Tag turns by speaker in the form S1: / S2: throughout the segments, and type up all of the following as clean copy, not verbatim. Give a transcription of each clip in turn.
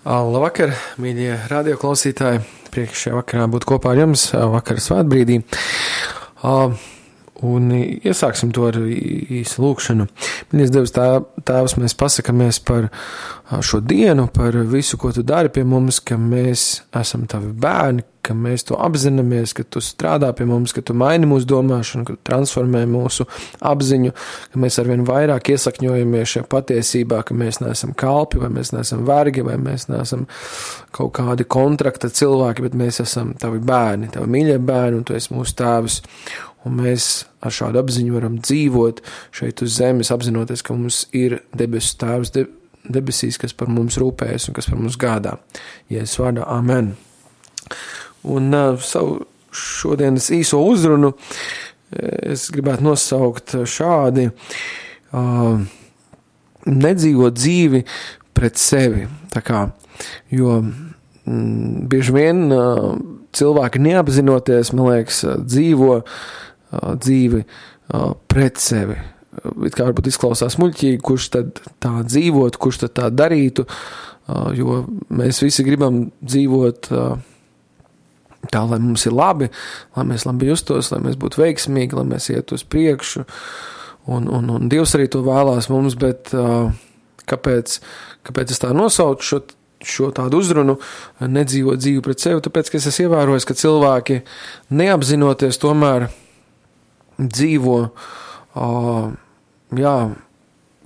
S1: Labvakar, mīļie radioklausītāji. Prieks šajā vakarā būt kopā ar jums vakara svētbrīdī. Un iesāksim to ar īsu lūkšanu. Mīļais Dievs, Tēvs, mēs pasakamies par šo dienu, par visu, ko Tu dari pie mums, ka mēs esam Tavi bērni, ka mēs to apzināmies, ka Tu strādā pie mums, ka Tu maini mūsu domāšanu, ka Tu transformē mūsu apziņu, ka mēs arvien vairāk iesakņojamies šajā patiesībā, ka mēs neesam kalpi, vai mēs neesam vergi, vai mēs neesam kaut kādi kontrakta cilvēki, bet mēs esam Tavi bērni, Tavi mīļie bērni, un Tu esi mūsu Tēvs. Un mēs ar šādu apziņu varam dzīvot šeit uz zemes, apzinoties, ka mums ir debesu Tēvs debesīs, kas par mums rūpējas un kas par mums gādā. Jēzus vārdā, amen. Un savu šodienas īso uzrunu es gribētu nosaukt šādi: nedzīvot dzīvi pret sevi. Tā kā, jo bieži vien cilvēki neapzinoties, man liekas, dzīvo dzīvi pret sevi. It kā varbūt izklausās muļķīgi, kurš tad tā dzīvot, kurš tad tā darītu, jo mēs visi gribam dzīvot tā, lai mums ir labi, lai mēs labi justos, lai mēs būtu veiksmīgi, lai mēs iet uz priekšu, un Dievs arī to vēlās mums, bet kāpēc es tā nosaucu šo tādu uzrunu, nedzīvot dzīvi pret sevi? Tāpēc, ka es esmu ievērojis, ka cilvēki neapzinoties tomēr dzīvo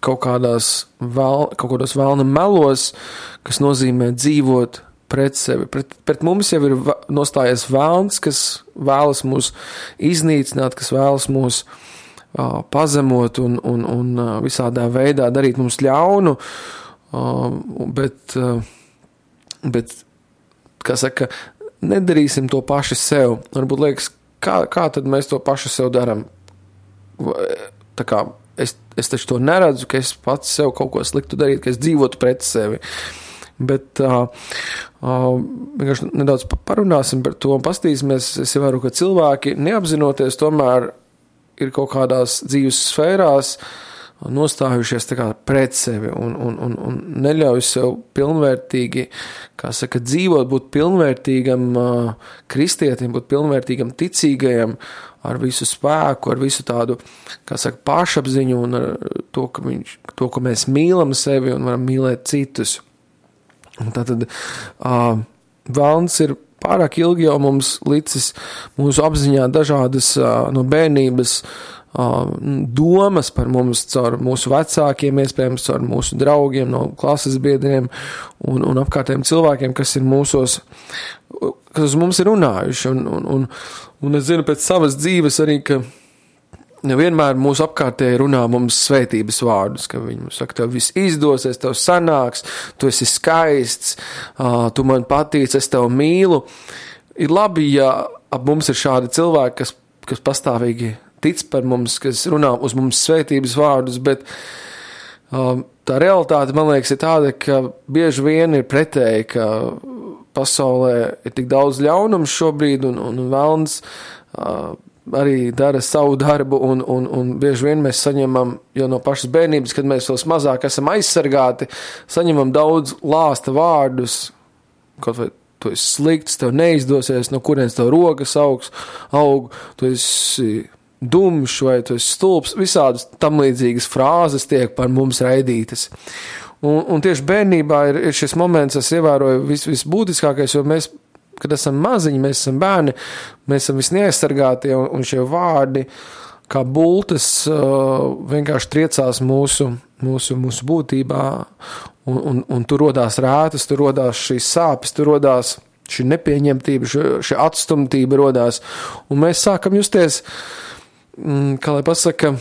S1: kaut kādos vēlna melos, kas nozīmē dzīvot pret sevi. Pret mums jau ir nostājies vēlns, kas vēlas mūs iznīcināt, kas vēlas mūs pazemot un visādā veidā darīt mums ļaunu, bet kā saka, nedarīsim to paši sev. Varbūt liekas, kā tad mēs to paši sev daram? Tā kā es taču to neredzu, ka es pats sev kaut ko sliktu darītu, ka es dzīvotu pret sevi. Bet vienkārši nedaudz parunāsim par to un pastīsimies. Es ievēru, ka cilvēki neapzinoties tomēr ir kaut kādās dzīves sfērās nostājušies tā kā pret sevi un neļauj sev pilnvērtīgi, kā saka, dzīvot, būt pilnvērtīgam kristietim, būt pilnvērtīgam ticīgajam ar visu spēku, ar visu tādu, kā saka, pašapziņu un ar to, ka mēs mīlam sevi un varam mīlēt citus. Un tātad vēlns ir pārāk ilgi jau mums licis mūsu apziņā dažādas no bērnības domas par mums caur mūsu vecākiem, iespējams caur mūsu draugiem, no klases biedriem un apkārtējiem cilvēkiem, kas uz mums ir runājuši. Un es zinu pēc savas dzīves arī, ka nevienmēr mūsu apkārtēji runā mums svētības vārdus, ka viņi mums saka, tev viss izdosies, tev sanāks, tu esi skaists, tu man patīc, es tev mīlu. Ir labi, ja ap mums ir šādi cilvēki, kas pastāvīgi tic par mums, kas runā uz mums svētības vārdus, bet tā realitāte, man liekas, ir tāda, ka bieži vien ir pretēji, ka pasaulē ir tik daudz ļaunums šobrīd, un velns arī dara savu darbu, un bieži vien mēs saņemam, jau no pašas bērnības, kad mēs vēl mazāk esam aizsargāti, saņemam daudz lāsta vārdus, kaut vai tu esi slikts, tev neizdosies, no kurienes tev rokas aug, tu esi dumšs vai tu esi stulbs, visādas tam līdzīgas frāzes tiek par mums raidītas. Un tieši bērnībā ir šis moments, es ievēroju visbūtiskākais, jo mēs, kad esam maziņi, mēs esam bērni, mēs esam visneaizsargātie, un šie vārdi kā bultas vienkārši triecās mūsu būtībā, un tur rodās rētas, tur rodās šīs sāpes, tur rodās šī nepieņemtība, šī atstumtība rodās, un mēs sākam justies, kā lai pasaka,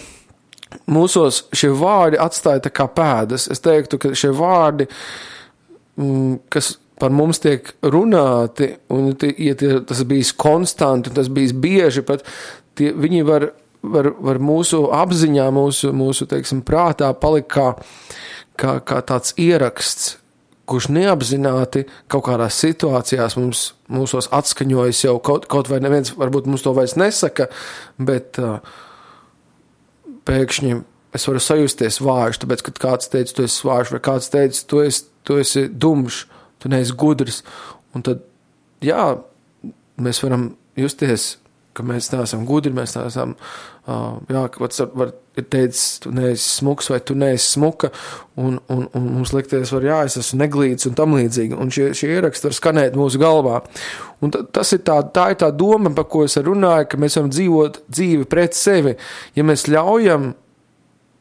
S1: mūsos šie vārdi atstāja tā kā pēdas. Es teiktu, ka šie vārdi, kas par mums tiek runāti, un tas bijis konstanti, un tas bijis bieži, pat viņi var mūsu apziņā, mūsu teiksim, prātā palikt kā tāds ieraksts, kurš neapzināti kaut kādās situācijās mūsos atskaņojas jau kaut vai neviens, varbūt mums to vairs nesaka, bet pēkšņi es varu sajusties vājš, tāpēc, kad kāds teica, tu esi vājš, vai kāds teica, tu esi dumšs, tu neesi gudrs. Un tad, jā, mēs varam justies, ka mēs neesam gudri, mēs neesam, ir teicis, tu neesi smuks vai tu neesi smuka, un mums likties es esmu neglīts un tam līdzīgi, un šie ieraksti var skanēt mūsu galvā. Un tā ir tā doma, par ko es runāju, ka mēs varam dzīvot dzīvi pret sevi, ja mēs ļaujam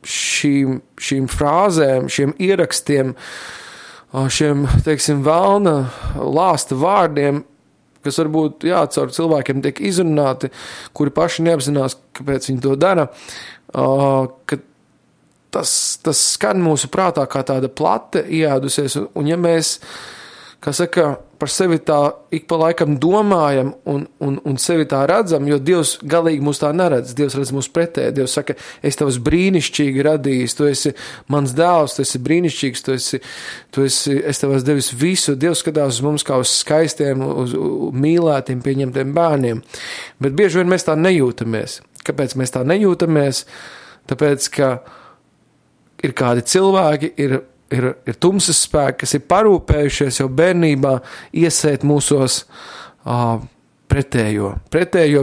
S1: šīm frāzēm, šiem ierakstiem, šiem, teiksim, velna lāsta vārdiem, kas varbūt, caur cilvēkiem tiek izrunāti, kuri paši neapzinās, kāpēc viņi to dara, ka tas skan mūsu prātā kā tāda plate ieēdusies, un ja mēs, kā saka, par sevi tā ik pa laikam domājam un sevi tā redzam, jo Dievs galīgi mūs tā neredz, Dievs redz mūs pretēji, Dievs saka, es tavas brīnišķīgi radījis, tu esi mans dēls, tu esi brīnišķīgs, es tev esmu devis visu, Dievs skatās uz mums kā uz skaistiem, uz mīlētiem, pieņemtiem bērniem, bet bieži vien mēs tā nejūtamies. Kāpēc mēs tā nejūtamies? Tāpēc, ka ir kādi cilvēki, ir tumsas spēki, kas ir parūpējušies jau bērnībā iesēt mūsos pretējo,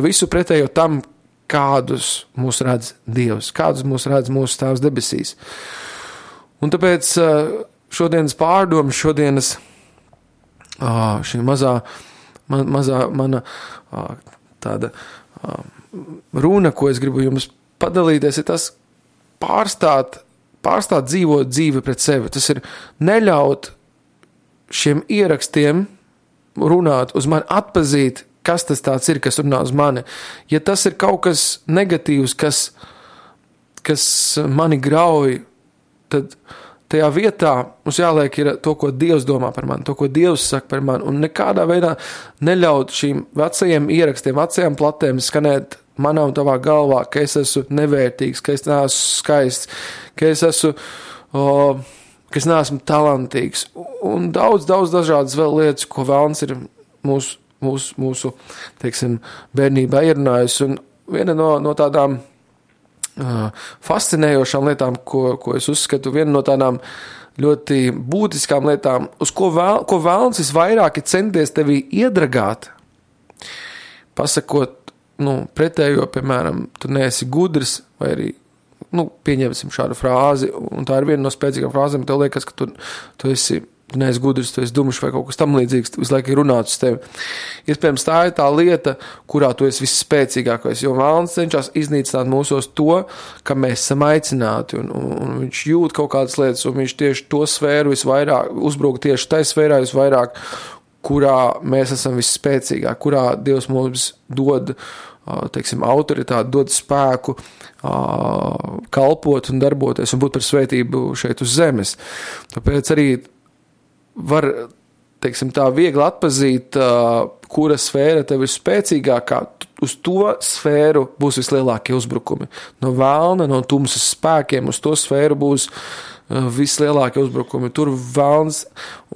S1: visu pretējo tam, kādus mūs redz Dievs, kādus mūs redz mūsu Tēvs debesīs. Un tāpēc šodienas pārdomas, šodienas šī mazā mana tāda runa, ko es gribu jums padalīties, ir tas pārstāt dzīvot dzīvi pret sevi. Tas ir neļaut šiem ierakstiem runāt uz mani, atpazīt, kas tas tāds ir, kas runā uz mani. Ja tas ir kaut kas negatīvs, kas mani grauj, tad tajā vietā mums jāliek ir to, ko Dievs domā par mani, to, ko Dievs saka par mani, un nekādā veidā neļaut šīm vecajiem ierakstiem, vecajām platēm skanēt manā un tavā galvā, ka es esmu nevērtīgs, ka es neesmu skaists, ka es neesmu talantīgs, un daudz dažādas vēl lietas, ko vēlns ir mūsu teiksim, bērnībā ierunājusi, un viena no tādām fascinējošām lietām, ko es uzskatu, viena no tādām ļoti būtiskām lietām, uz ko vēlns visvairāk ir centies tevī iedragāt, pasakot, pretējo, piemēram, tu neesi gudrs, vai arī, pieņemsim šādu frāzi, un tā ir viena no spēcīgām frāzēm, tev liekas, ka tu neesi gudrs, tu esi dumšs vai kaut kas tam līdzīgs, visu laiku ir runāts uz tevi. Iespējams, tā ir tā lieta, kurā tu esi visspēcīgākais, jo vēlns cenšas iznīcināt mūsos to, ka mēs esam aicināti, un viņš jūt kaut kādas lietas, un viņš tieši to sfēru visvairāk, uzbruk tieši tai sfērā visvairāk, kurā mēs esam visspēcīgāk, kurā Dievs mums dod teiksim, autoritāti, dod spēku kalpot un darboties un būt par svētību šeit uz zemes. Tāpēc arī var, teiksim, tā viegli atpazīt, kura sfēra tev ir spēcīgākā, uz to sfēru būs vislielākie uzbrukumi. No vēlna, no tumsas spēkiem uz to sfēru būs vislielākie uzbrukumi. Tur vēlns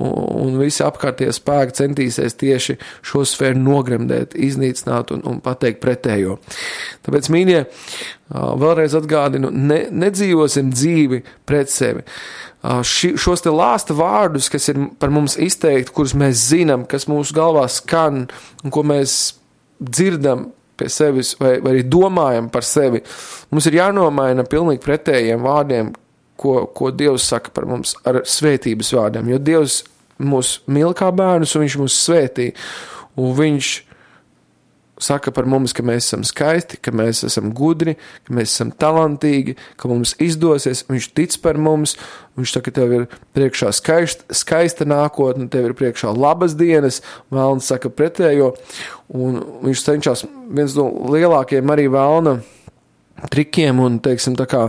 S1: un visi apkārtie spēki centīsies tieši šo sfēru nogremdēt, iznīcināt un pateikt pretējo. Tāpēc, mīļie, vēlreiz atgādinu, nedzīvosim dzīvi pret sevi. Šos te lāsta vārdus, kas ir par mums izteikti, kurus mēs zinām, kas mūsu galvā skan un ko mēs dzirdam pie sevis vai arī domājam par sevi, mums ir jānomaina pilnīgi pretējiem vārdiem, ko Dievs saka par mums ar svētības vārdiem, jo Dievs mūs mīl kā bērnus un viņš mūs svētī, un viņš saka par mums, ka mēs esam skaisti, ka mēs esam gudri, ka mēs esam talantīgi, ka mums izdosies, viņš tic par mums, viņš saka, tev ir priekšā skaista nākotne, tev ir priekšā labas dienas, vēlns saka pretējo, un viņš cenšas viens no lielākiem arī vēlna trikiem un, teiksim, tā kā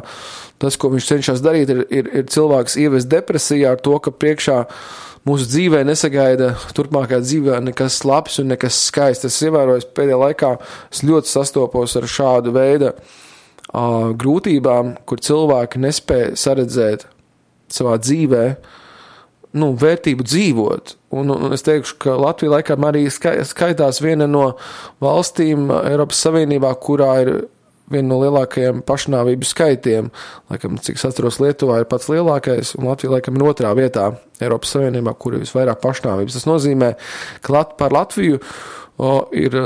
S1: tas, ko viņš cenšas darīt, ir cilvēks ievest depresijā ar to, ka priekšā mūsu dzīvē nesagaida turpmākā dzīvē nekas labs un nekas skaists. Es ievēroju, pēdējā laikā es ļoti sastopos ar šādu veidu grūtībām, kur cilvēki nespēja saredzēt savā dzīvē vērtību dzīvot. Un es teikšu, ka Latvija laikam arī skaitās viena no valstīm Eiropas Savienībā, kurā ir viena no lielākajiem pašnāvību skaitiem. Laikam, cik es atceros, Lietuvā ir pats lielākais, un Latvija laikam ir 2. vietā Eiropas Savienībā, kur ir visvairāk pašnāvības. Tas nozīmē, ka par Latviju ir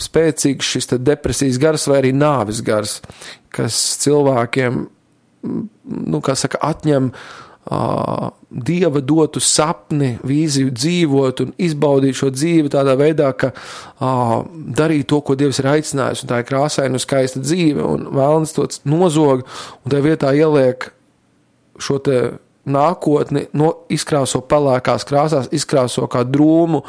S1: spēcīgs šis depresijas gars vai arī nāvis gars, kas cilvēkiem, atņem Dieva dotu sapni, vīziju dzīvot un izbaudīt šo dzīvi tādā veidā, ka darīt to, ko Dievs ir aicinājis, un tā ir krāsaina un skaista dzīve, un vēlns to nozog, un tajā vietā ieliek šo te nākotni, izkrāso pelēkās krāsās, izkrāso kā drūmu,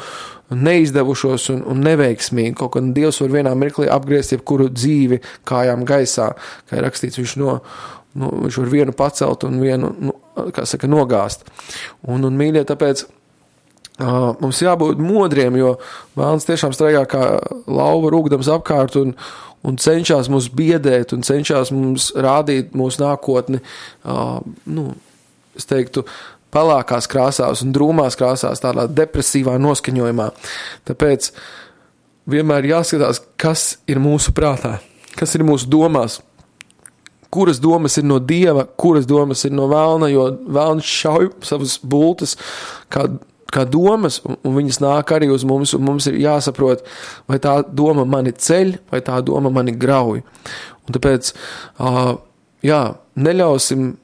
S1: neizdevušos un neveiksmīgi, kaut kad Dievs var vienā mirklī apgriezt jebkuru dzīvi kājām gaisā, kā ir rakstīts, viņš var vienu pacelt un vienu, nogāzt. Un mīļie, tāpēc mums jābūt modriem, jo vēlns tiešām straigā kā lauva rūgdams apkārt un cenšas mūs biedēt un cenšas mums rādīt mūsu nākotni, es teiktu, pelēkās krāsās un drūmās krāsās, tādā depresīvā noskaņojumā. Tāpēc vienmēr jāskatās, kas ir mūsu prātā, kas ir mūsu domās, kuras domas ir no Dieva, kuras domas ir no vēlna, jo vēlns šauj savas bultas kā domas, un viņas nāk arī uz mums, un mums ir jāsaprot, vai tā doma mani ceļ, vai tā doma mani grauj. Un tāpēc, neļausim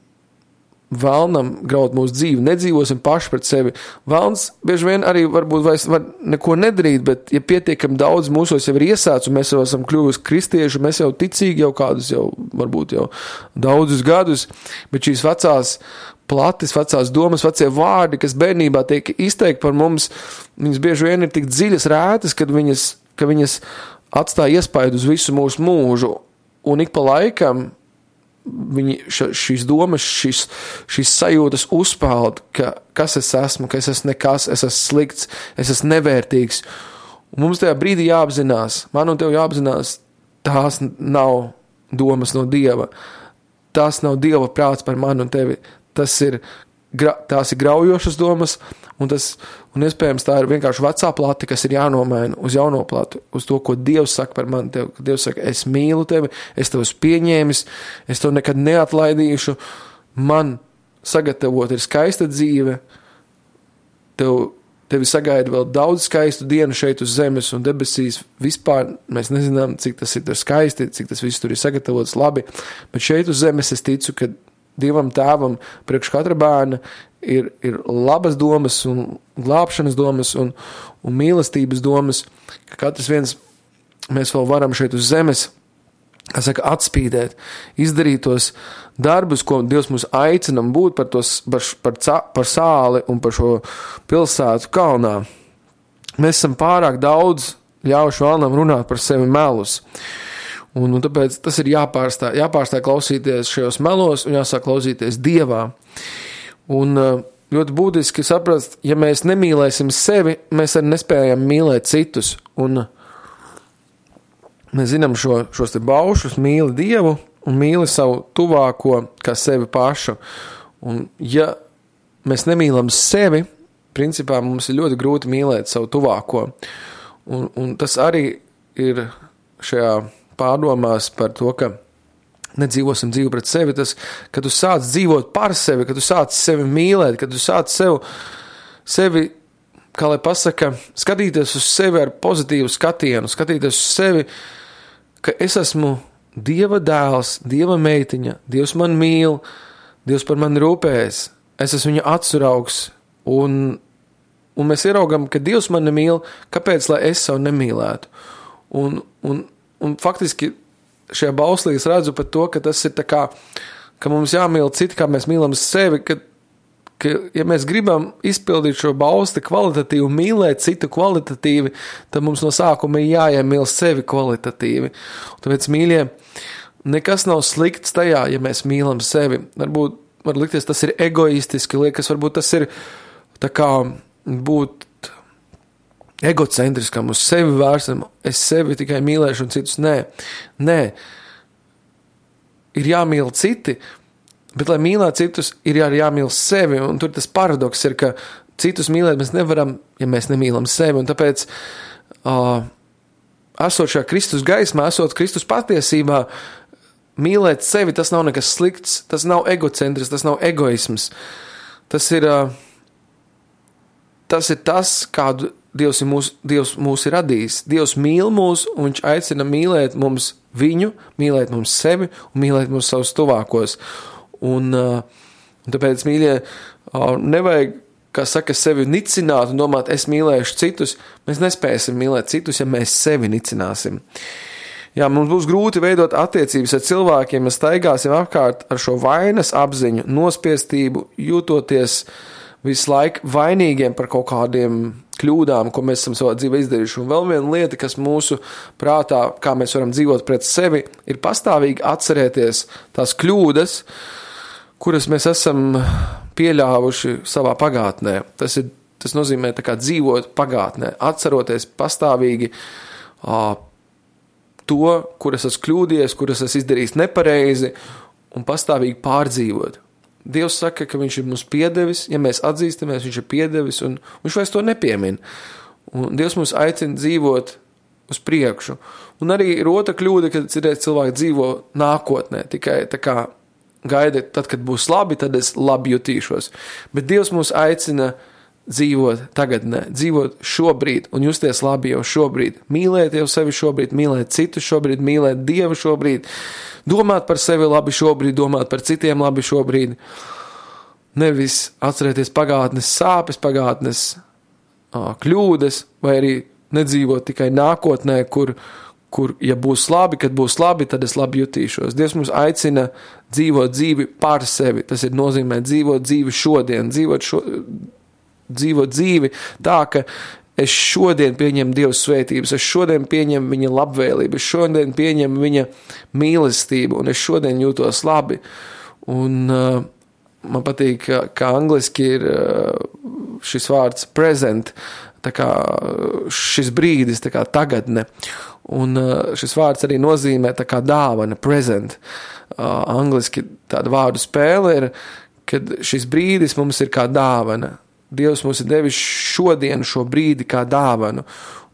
S1: vēlnam graut mūsu dzīvi, nedzīvosim paši pret sevi. Vēlns bieži vien arī varbūt vairs var neko nedarīt, bet ja pietiekami daudz mūsos jau ir iesācis, un mēs jau esam kļuvusi kristieši, mēs jau ticīgi jau kādus varbūt jau daudzus gadus, bet šīs vecās domas, vecie vārdi, kas bērnībā tiek izteikti par mums, viņas bieži vien ir tik dziļas rētas, ka viņas atstāja iespaidu uz visu mūsu mūžu, un ik pa laikam šīs domas, šīs sajūtas uzpeld, ka kas es esmu, ka es esmu nekas, es esmu slikts, es esmu nevērtīgs. Un mums tajā brīdī jāapzinās, man un tev jāapzinās, tās nav domas no Dieva, tās nav Dieva prāts par mani un tevi, tās ir graujošas domas, un iespējams tā ir vienkārši vecā plati, kas ir jānomaina uz jauno plati, uz to, ko Dievs saka par mani, tev, ka Dievs saka, es mīlu tevi, es tev esmu pieņēmis, es tev nekad neatlaidīšu, man sagatavot ir skaista dzīve, tevi sagaida vēl daudz skaistu dienu šeit uz zemes un debesīs, vispār mēs nezinām, cik tas ir skaisti, cik tas viss tur ir sagatavots labi, bet šeit uz zemes es ticu, ka Dievam tēvam priekš katra bērna ir labas domas un glābšanas domas un mīlestības domas, ka katrs viens mēs vēl varam šeit uz zemes, atspīdēt, izdarīt tos darbus, ko Dievs mūs aicinam būt par sāli un par šo pilsētu kalnā. Mēs esam pārāk daudz ļaujuši vēlnam runāt par sevi melus. Un tāpēc tas ir jāpārstāj klausīties šajos melos un jāsāk klausīties Dievā. Un ļoti būtiski saprast, ja mēs nemīlēsim sevi, mēs arī nespējam mīlēt citus. Un mēs zinām šos te baušus, mīli Dievu un mīli savu tuvāko kā sevi pašu. Un ja mēs nemīlam sevi, principā mums ir ļoti grūti mīlēt savu tuvāko. Un tas arī ir šajā pārdomās par to, ka nedzīvosim dzīvi pret sevi, tas, kad tu sāc dzīvot par sevi, kad tu sāc sevi mīlēt, kad tu sāc sevi, kā lai pasaka, skatīties uz sevi ar pozitīvu skatienu, skatīties uz sevi, ka es esmu Dieva dēls, Dieva meitiņa, Dievs man mīl, Dievs par mani rūpējas, es esmu viņa atsuraugs, un mēs ieraugam, ka Dievs mani mīl, kāpēc, lai es savu nemīlētu? Un faktiski šajā bauslī es redzu par to, ka tas ir tā kā, ka mums jāmīl citi, kā mēs mīlam sevi, ka ja mēs gribam izpildīt šo bausli kvalitatīvi, mīlēt citu kvalitatīvi, tad mums no sākuma ir jāiemīl sevi kvalitatīvi. Un tāpēc, mīļie, nekas nav slikts tajā, ja mēs mīlam sevi. Varbūt var likties, tas ir egoistiski, liekas, varbūt tas ir tā kā būt egocentriskam, uz sevi vērsam, es sevi tikai mīlēšu un citus nē. Ir jāmīl citi, bet, lai mīlētu citus, ir arī jāmīl sevi, un tur tas paradoks ir, ka citus mīlēt mēs nevaram, ja mēs nemīlam sevi, un tāpēc esot šajā Kristus gaismā, esot Kristus patiesībā, mīlēt sevi, tas nav nekas slikts, tas nav egocentris, tas nav egoisms. Tas ir tas, kādu Dievs mūs ir radījis. Dievs mīl mūs, un viņš aicina mīlēt mums viņu, mīlēt mums sevi un mīlēt mums savus tuvākos. Un tāpēc, mīļie, nevajag, kā saka, sevi nicināt un domāt, es mīlēšu citus. Mēs nespēsim mīlēt citus, ja mēs sevi nicināsim. Jā, mums būs grūti veidot attiecības ar cilvēkiem, mēs staigāsim apkārt ar šo vainas apziņu, nospiestību, jūtoties visu laiku vainīgiem par kaut kādiem kļūdām, ko mēs esam savā dzīvē izdarījuši. Un vēl viena lieta, kas mūsu prātā, kā mēs varam dzīvot pret sevi, ir pastāvīgi atcerēties tās kļūdas, kuras mēs esam pieļāvuši savā pagātnē. Tas nozīmē tā kā dzīvot pagātnē, atceroties pastāvīgi to, kuras esmu kļūdījies, kuras esmu izdarījis nepareizi, un pastāvīgi pārdzīvot. Dievs saka, ka viņš ir mums piedevis, ja mēs atzīstamies, viņš ir piedevis, un viņš vairs to nepiemin. Un Dievs mums aicina dzīvot uz priekšu. Un arī ir otra kļūda, kad cilvēki dzīvo nākotnē, tikai tā kā gaida, tad, kad būs labi, tad es labi jutīšos. Bet Dievs mūs aicina dzīvot tagadnē, dzīvot šobrīd un justies labi jau šobrīd. Mīlēt jau sevi šobrīd, mīlēt citus šobrīd, mīlēt Dievu šobrīd, domāt par sevi labi šobrīd, domāt par citiem labi šobrīd. Nevis atcerēties pagātnes sāpes, pagātnes kļūdas, vai arī nedzīvot tikai nākotnē, kur ja būs labi, kad būs labi, tad es labi jutīšos. Dievs mums aicina dzīvot dzīvi par sevi. Tas ir nozīmē dzīvot dzīvi šodien, dzīvot dzīvi tā, ka es šodien pieņemu Dieva svētības, es šodien pieņemu viņa labvēlību, es šodien pieņemu viņa mīlestību, un es šodien jūtos labi. Un man patīk, ka angliski ir šis vārds present, tā kā šis brīdis, tā kā tagadne. Un šis vārds arī nozīmē tā kā dāvana, present. Angliski tāda vārdu spēle ir, kad šis brīdis mums ir kā dāvana. Dievs mums ir devis šodien šo brīdi kā dāvanu.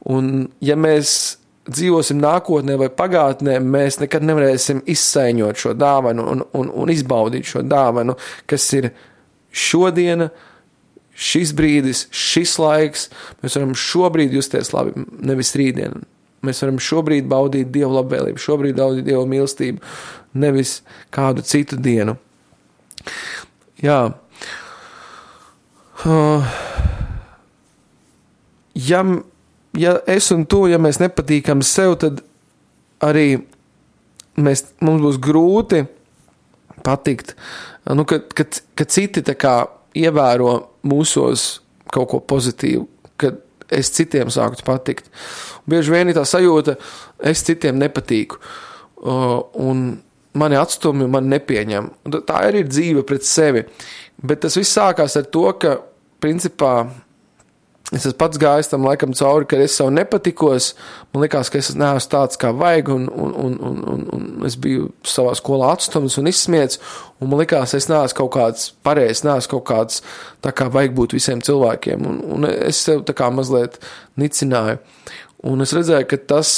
S1: Un ja mēs dzīvosim nākotnē vai pagātnē, mēs nekad nevarēsim izsaiņot šo dāvanu un izbaudīt šo dāvanu, kas ir šodiena, šis brīdis, šis laiks. Mēs varam šobrīd justies labi, nevis rītdien. Mēs varam šobrīd baudīt Dievu labvēlību, šobrīd baudīt Dievu mīlestību, nevis kādu citu dienu. Jā. Ja es un tu, ja mēs nepatīkam sev, tad arī mums būs grūti patikt, ka citi tā kā ievēro mūsos kaut ko pozitīvu, kad es citiem sāktu patikt. Bieži vien ir tā sajūta, es citiem nepatīku, un mani atstumi, mani nepieņem. Tā ir dzīve pret sevi. Bet tas viss sākās ar to, ka, principā, es esmu pats gājis tam laikam cauri, kad es sev nepatikos, man likās, ka es neesmu tāds, kā vajag, un es biju savā skolā atstums un izsmiets, un man likās, es neesmu kaut kāds pareizs, neesmu kaut kāds tā kā vajag būt visiem cilvēkiem, un es sev tā kā mazliet nicināju. Un es redzēju, ka tas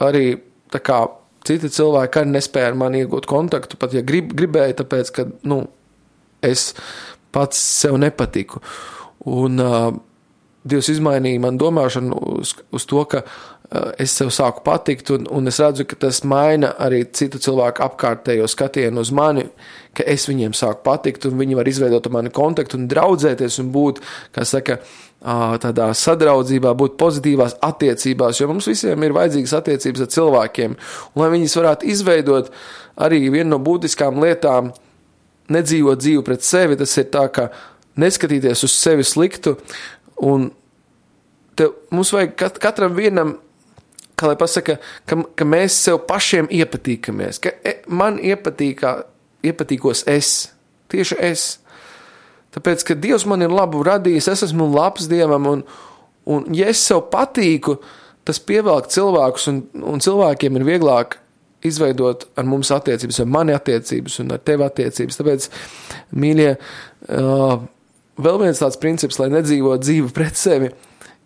S1: arī tā kā citi cilvēki arī nespēja ar mani iegūt kontaktu, pat ja gribēju, tāpēc, ka, es pats sev nepatiku. Un Dievs izmainīja man domāšanu uz to, ka es sev sāku patikt, un es redzu, ka tas maina arī citu cilvēku apkārtējo skatienu uz mani, ka es viņiem sāku patikt, un viņi var izveidot ar mani kontaktu un draudzēties un būt, kā saka, tādā sadraudzībā, būt pozitīvās attiecībās, jo mums visiem ir vajadzīgas attiecības ar cilvēkiem, un lai viņas varētu izveidot arī vienu no būtiskām lietām, nedzīvot dzīvi pret sevi, tas ir tā, ka neskatīties uz sevi sliktu, un mums vajag katram vienam, kā lai pasaka, ka mēs sev pašiem iepatīkamies, ka man iepatīkos es, tieši es. Tāpēc, ka Dievs man ir labu radījis, es esmu labs Dievam, un ja es sev patīku, tas pievelk cilvēkus, un cilvēkiem ir vieglāk izveidot ar mums attiecības, ar mani attiecības un ar tevi attiecības. Tāpēc, mīļie, vēl viens tāds princips, lai nedzīvot dzīvi pret sevi,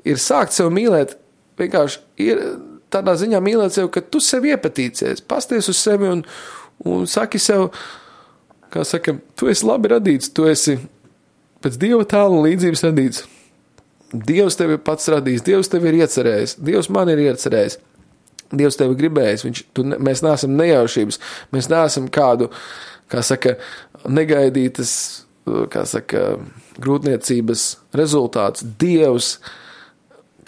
S1: ir sākt sev mīlēt, vienkārši ir tādā ziņā mīlēt sevi, ka tu sevi iepatīcies, pasties uz sevi un saki sev, kā saka, tu esi labi radīts, tu esi pēc Dieva tēla un līdzības radīts. Dievs tevi pats radījis, Dievs tevi ir iecerējis, Dievs man ir iecerējis, Dievs tevi gribējis, mēs neesam nejaušības, mēs neesam kādu, kā saka, negaidītas, kā saka, grūtniecības rezultāts. Dievs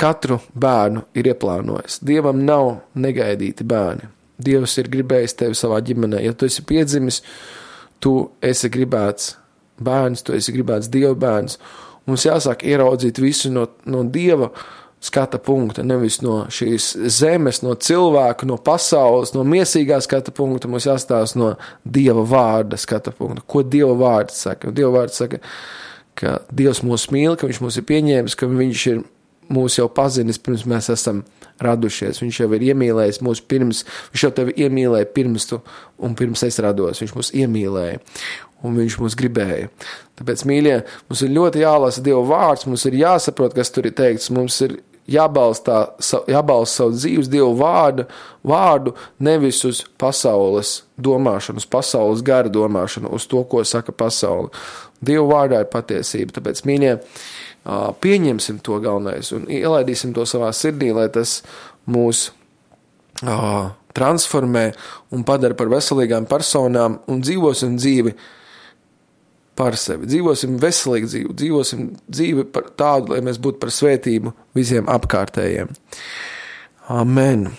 S1: katru bērnu ir ieplānojis. Dievam nav negaidīti bērni. Dievs ir gribējis tevi savā ģimenē. Ja tu esi piedzimis, tu esi gribēts bērns, tu esi gribēts Dieva bērns. Mums jāsāk ieraudzīt visu no Dieva skata punkta, nevis no šīs zemes, no cilvēka, no pasaules, no miesīgā skata punkta. Mums jāstāsta no Dieva vārda skata punkta. Ko Dieva vārds saka? Dieva vārds saka, ka Dievs mūs mīl, ka viņš mūs ir pieņēmis, ka viņš ir mūs jau pazinis, pirms mēs esam radušies. Viņš jau ir iemīlējis mūs pirms, viņš jau tevi iemīlēja pirms tu un pirms es rados. Viņš mūs iemīlēja un viņš mūs gribēja. Tāpēc, mīļie, mums ir ļoti jālasa Dieva vārds, mums ir jāsaprot, kas tur ir teikts, mums ir jābalsta savu dzīves Dievu vārdu, nevis uz pasaules domāšanu, uz pasaules gara domāšanu, uz to, ko saka pasaule. Dievu vārdā ir patiesība, tāpēc, mīļie, pieņemsim to galvenais un ielaidīsim to savā sirdī, lai tas mūs transformē un padara par veselīgām personām un dzīvosim dzīvi par sevi. Dzīvosim veselīgu dzīvi, dzīvosim dzīvi par tādu, lai mēs būtu par svētību visiem apkārtējiem. Amen.